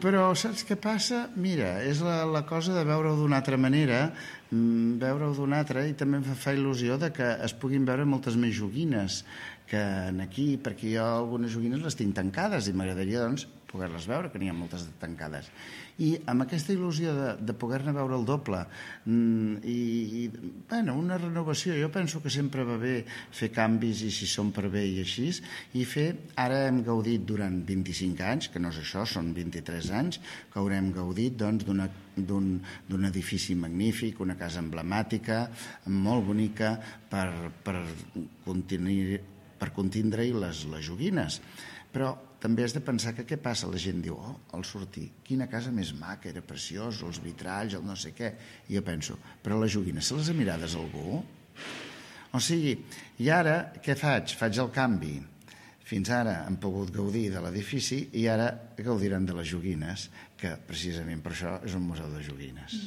Però saps què passa? Mira, és la cosa de veure-ho d'una altra manera, veure-ho d'una altra, i també em fa il·lusió de que es puguin veure moltes més joguines que aquí, perquè jo algunes joguines les tinc tancades i m'agradaria, doncs, poder-les veure, que n'hi ha moltes de tancades. I amb aquesta il·lusió de poder-ne veure el doble bueno, una renovació, jo penso que sempre va bé fer canvis, i si són per bé i així, i ara hem gaudit durant 25 anys, que no és això, són 23 anys, que haurem gaudit doncs, d'un edifici magnífic, una casa emblemàtica, molt bonica, per contindre-hi les joguines. Però també has de pensar que què passa? La gent diu, al sortir, quina casa més maca, era preciós, els vitralls, el no sé què. I jo penso, però les joguines, se les ha mirades algú? O sigui, i ara què faig? Faig el canvi. Fins ara han pogut gaudir de l'edifici i ara gaudiran de les joguines, que precisament per això és un museu de joguines.